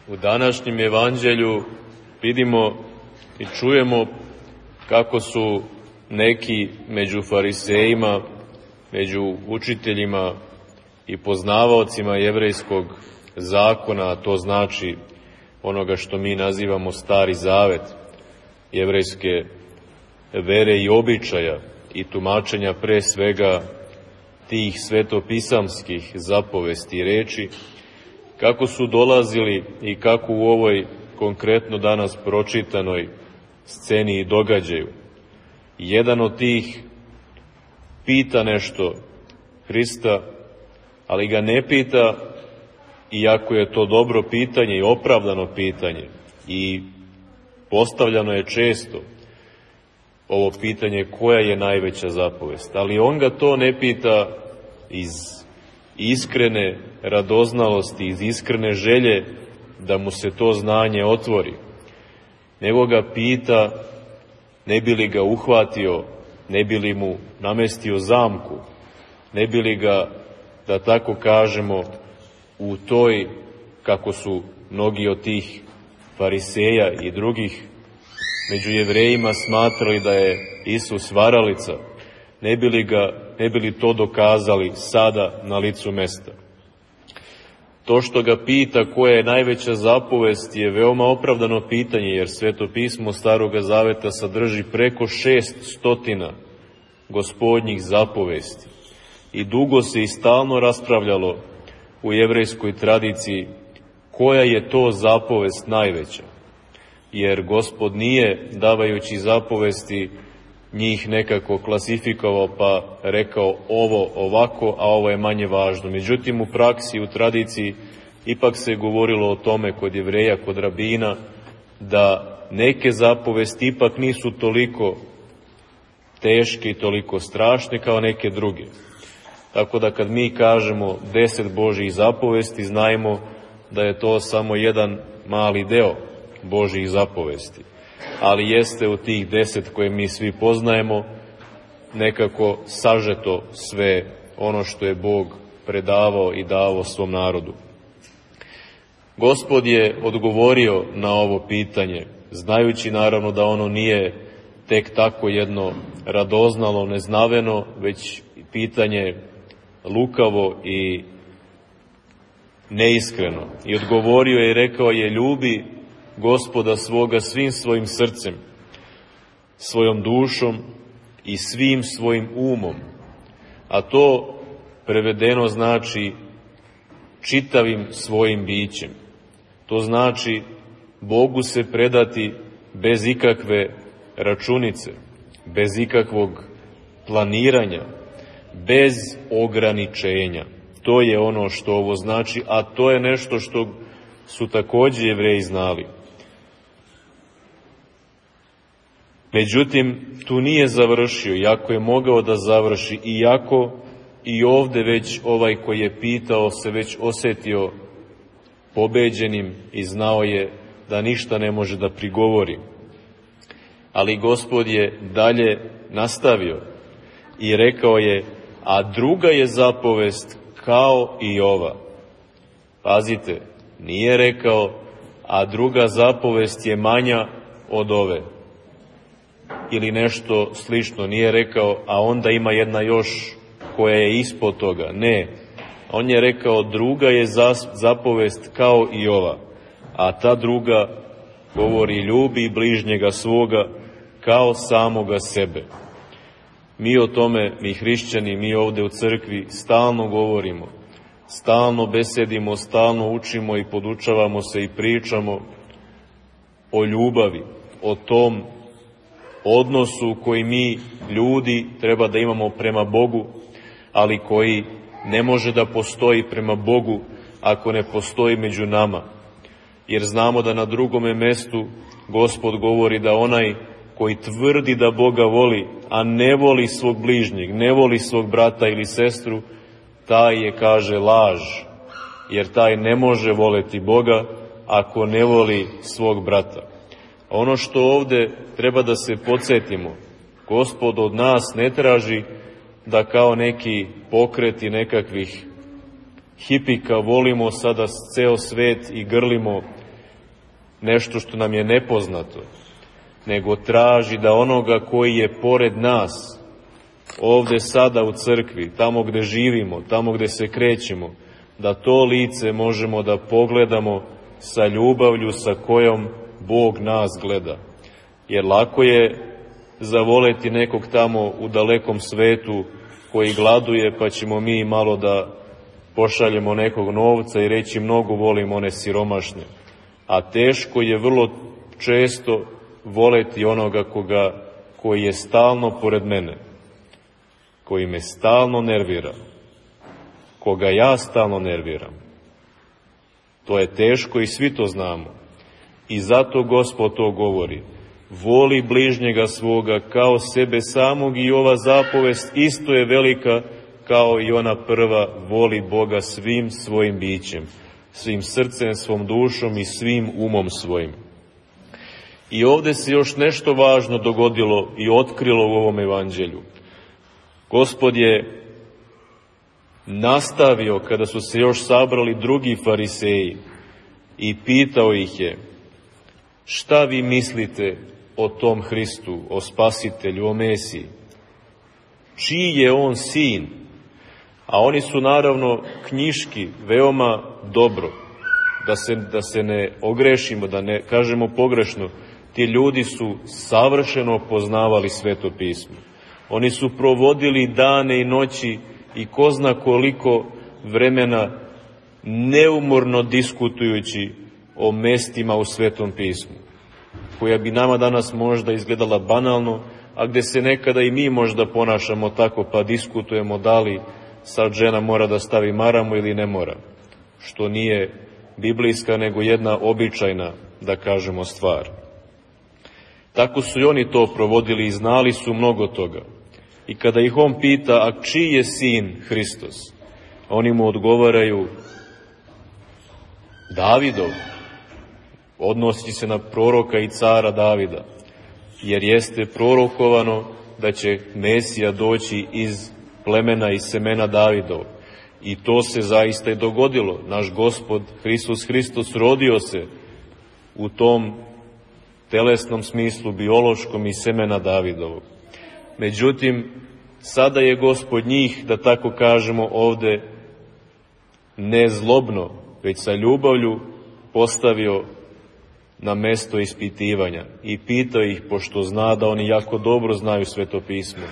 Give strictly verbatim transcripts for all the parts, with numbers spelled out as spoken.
U današnjem evanđelju vidimo i čujemo kako su neki među farisejima, među učiteljima i poznavaocima jevrejskog zakona, a to znači onoga što mi nazivamo Stari Zavet, jevrejske vere i običaja i tumačenja pre svega tih svetopisamskih zapovesti i reči, kako su dolazili i kako u ovoj konkretno danas pročitanoj sceni i događaju. Jedan od tih pita nešto Hrista, ali ga ne pita, iako je to dobro pitanje i opravdano pitanje, i postavljano je često ovo pitanje koja je najveća zapovest, ali on ga to ne pita iz iskrene radoznalosti, iz iskrene želje da mu se to znanje otvori, nego ga pita ne bi li ga uhvatio, ne bi li mu namestio zamku, ne bi li ga, da tako kažemo, u toj, kako su mnogi od tih fariseja i drugih među Jevrejima smatrali da je Isus varalica, ne bi li ga, ne bi li to dokazali sada na licu mesta. To što ga pita koja je najveća zapovest je veoma opravdano pitanje, jer Sveto pismo Staroga Zaveta sadrži preko šest stotina gospodnjih zapovesti. I dugo se i stalno raspravljalo u jevrejskoj tradiciji koja je to zapovest najveća. Jer Gospod nije, davajući zapovesti, njih nekako klasifikovao pa rekao ovo ovako, a ovo je manje važno. Međutim, u praksi, u tradiciji, ipak se govorilo o tome kod Jevreja, kod rabina, da neke zapovesti ipak nisu toliko teške i toliko strašne kao neke druge. Tako da kad mi kažemo deset Božjih zapovesti, znajmo da je to samo jedan mali deo Božjih zapovesti. Ali jeste u tih deset koje mi svi poznajemo nekako sažeto sve ono što je Bog predavao i davao svom narodu. Gospod je odgovorio na ovo pitanje, znajući naravno da ono nije tek tako jedno radoznalo, neznaveno, već pitanje lukavo i neiskreno. I odgovorio je i rekao je: ljubi Gospoda svoga svim svojim srcem, svojom dušom i svim svojim umom. A to prevedeno znači čitavim svojim bićem. To znači Bogu se predati bez ikakve računice, bez ikakvog planiranja, bez ograničenja. To je ono što ovo znači, a to je nešto što su takođe Jevreji znali. Međutim, tu nije završio, iako je mogao da završi, iako i ovde već ovaj koji je pitao se već osetio pobeđenim i znao je da ništa ne može da prigovori. Ali Gospod je dalje nastavio i rekao je: a druga je zapovest kao i ova. Pazite, nije rekao: a druga zapovest je manja od ove. Ili nešto slično, nije rekao: a onda ima jedna još koja je ispod toga. Ne, on je rekao: druga je zapovest kao i ova, a ta druga govori: ljubi bližnjega svoga kao samoga sebe. Mi o tome, mi hrišćani, mi ovde u crkvi stalno govorimo, stalno besedimo, stalno učimo i podučavamo se i pričamo o ljubavi, o tom odnosu koji mi, ljudi, treba da imamo prema Bogu, ali koji ne može da postoji prema Bogu ako ne postoji među nama. Jer znamo da na drugome mestu Gospod govori da onaj koji tvrdi da Boga voli, a ne voli svog bližnjeg, ne voli svog brata ili sestru, taj je, kaže, laž, jer taj ne može voleti Boga ako ne voli svog brata. Ono što ovde treba da se podsjetimo, Gospod od nas ne traži da kao neki pokreti nekakvih hipika volimo sada ceo svet i grlimo nešto što nam je nepoznato, nego traži da onoga koji je pored nas, ovde sada u crkvi, tamo gde živimo, tamo gde se krećemo, da to lice možemo da pogledamo sa ljubavlju sa kojom Bog nas gleda. Jer lako je zavoleti nekog tamo u dalekom svetu koji gladuje, pa ćemo mi malo da pošaljemo nekog novca i reći mnogo volim one siromašne. A teško je vrlo često voleti onoga koga, koji je stalno pored mene, koji me stalno nervira, koga ja stalno nerviram. To je teško i svi to znamo. I zato Gospod to govori. Voli bližnjega svoga kao sebe samog, i ova zapovest isto je velika kao i ona prva, voli Boga svim svojim bićem, svim srcem, svom dušom i svim umom svojim. I ovde se još nešto važno dogodilo i otkrilo u ovom evanđelju. Gospod je nastavio, kada su se još sabrali drugi fariseji, i pitao ih je: šta vi mislite o tom Hristu, o Spasitelju, o Mesiji? Čiji je on sin? A oni su naravno knjiški veoma dobro, da se, da se ne ogrešimo, da ne kažemo pogrešno, ti ljudi su savršeno poznavali Sveto pismo. Oni su provodili dane i noći i ko zna koliko vremena neumorno diskutujući o mestima u Svetom pismu, koja bi nama danas možda izgledala banalno, a gde se nekada i mi možda ponašamo tako, pa diskutujemo da li sad žena mora da stavi maramu ili ne mora, što nije biblijska, nego jedna običajna, da kažemo, stvar. Tako su i oni to provodili i znali su mnogo toga. I kada ih on pita: a čiji je sin Hristos? Oni mu odgovaraju: Davidov. Odnosi se na proroka i cara Davida, jer jeste prorokovano da će Mesija doći iz plemena i semena Davidov. I to se zaista i dogodilo. Naš Gospod Hristos Hristos rodio se u tom telesnom smislu, biološkom, i semena Davidovog. Međutim, sada je Gospod njih, da tako kažemo ovde, ne zlobno, već sa ljubavlju postavio na mesto ispitivanja i pitao ih, pošto zna da oni jako dobro znaju Sveto pismo: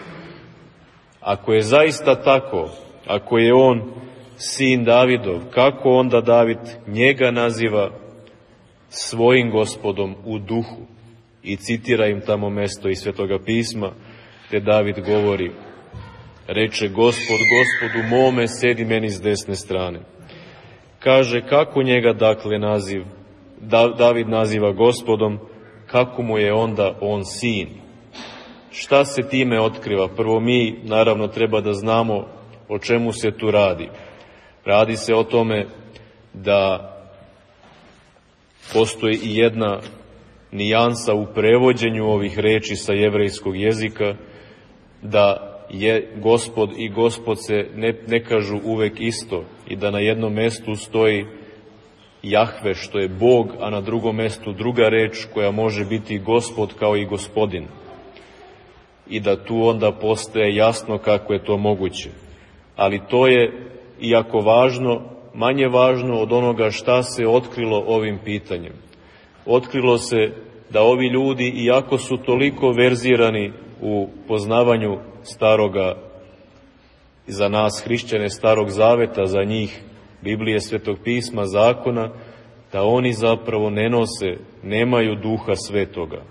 ako je zaista tako, ako je on sin Davidov, kako onda David njega naziva svojim Gospodom u duhu? I citira im tamo mesto iz Svetoga pisma, te David govori: reče Gospod Gospodu mome, sedi meni s desne strane. Kaže, kako njega dakle naziv, David naziva Gospodom, kako mu je onda on sin? Šta se time otkriva? Prvo, mi naravno treba da znamo o čemu se tu radi. Radi se o tome da postoji i jedna nijansa u prevođenju ovih reči sa jevrejskog jezika, da je Gospod i Gospod se ne, ne kažu uvek isto, i da na jednom mestu stoji Jahve, što je Bog, a na drugom mestu druga reč koja može biti Gospod kao i Gospodin. I da tu onda postaje jasno kako je to moguće. Ali to je, iako važno, manje važno od onoga šta se otkrilo ovim pitanjem. Otkrilo se da ovi ljudi, iako su toliko verzirani u poznavanju staroga, za nas hrišćane, starog zaveta, za njih Biblije, Svetog pisma, zakona, da oni zapravo ne nose, nemaju duha svetoga.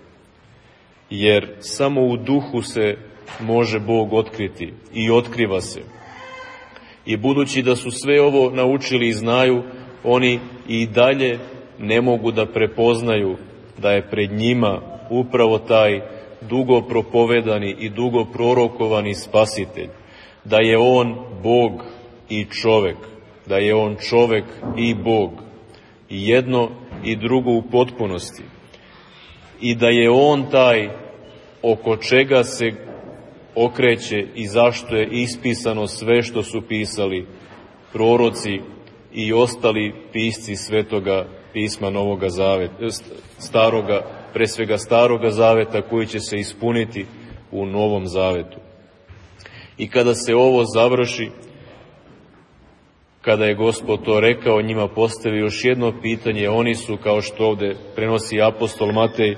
Jer samo u duhu se može Bog otkriti i otkriva se. I budući da su sve ovo naučili i znaju, oni i dalje ne mogu da prepoznaju da je pred njima upravo taj dugo propovedani i dugo prorokovani Spasitelj, da je on Bog i čovek, da je on čovek i Bog, i jedno i drugo u potpunosti, i da je on taj oko čega se okreće i zašto je ispisano sve što su pisali proroci i ostali pisci Svetoga pisma Novoga zaveta, staroga, pre svega staroga zaveta, koji će se ispuniti u Novom zavetu. I kada se ovo završi, kada je Gospod to rekao, njima postavi još jedno pitanje. Oni su, kao što ovde prenosi apostol Matej,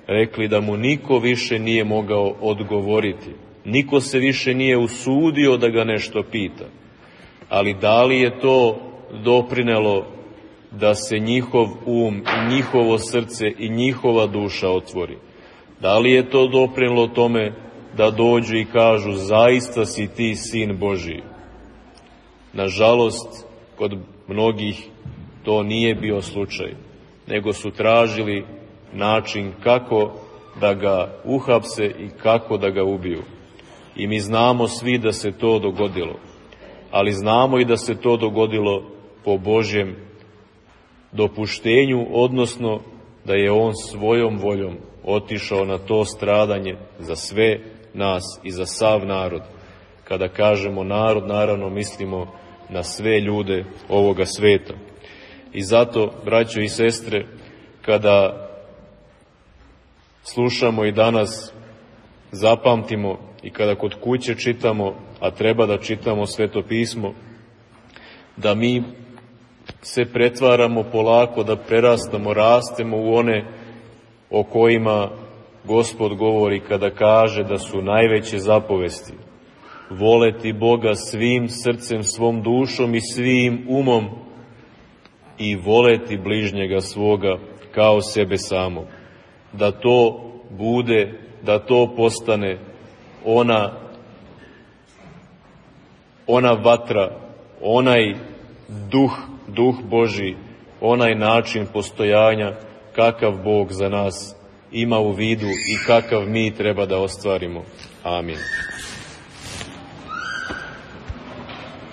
rekli da mu niko više nije mogao odgovoriti. Niko se više nije usudio da ga nešto pita. Ali da li je to doprinelo da se njihov um, njihovo srce i njihova duša otvori? Da li je to doprinelo tome da dođu i kažu zaista si ti sin Božiji? Nažalost, kod mnogih to nije bio slučaj, nego su tražili način kako da ga uhapse i kako da ga ubiju. I mi znamo svi da se to dogodilo, ali znamo i da se to dogodilo po Božjem dopuštenju, odnosno da je on svojom voljom otišao na to stradanje za sve nas i za sav narod. Kada kažemo narod, naravno mislimo na sve ljude ovoga sveta. I zato, braćo i sestre, kada slušamo i danas, zapamtimo i kada kod kuće čitamo, a treba da čitamo Sveto pismo, da mi se pretvaramo polako, da prerastamo, rastemo u one o kojima Gospod govori kada kaže da su najveće zapovesti voleti Boga svim srcem, svom dušom i svim umom i voleti bližnjega svoga kao sebe samog. Da to bude, da to postane ona, ona vatra, onaj duh, duh Božji, onaj način postojanja kakav Bog za nas ima u vidu i kakav mi treba da ostvarimo. Amin.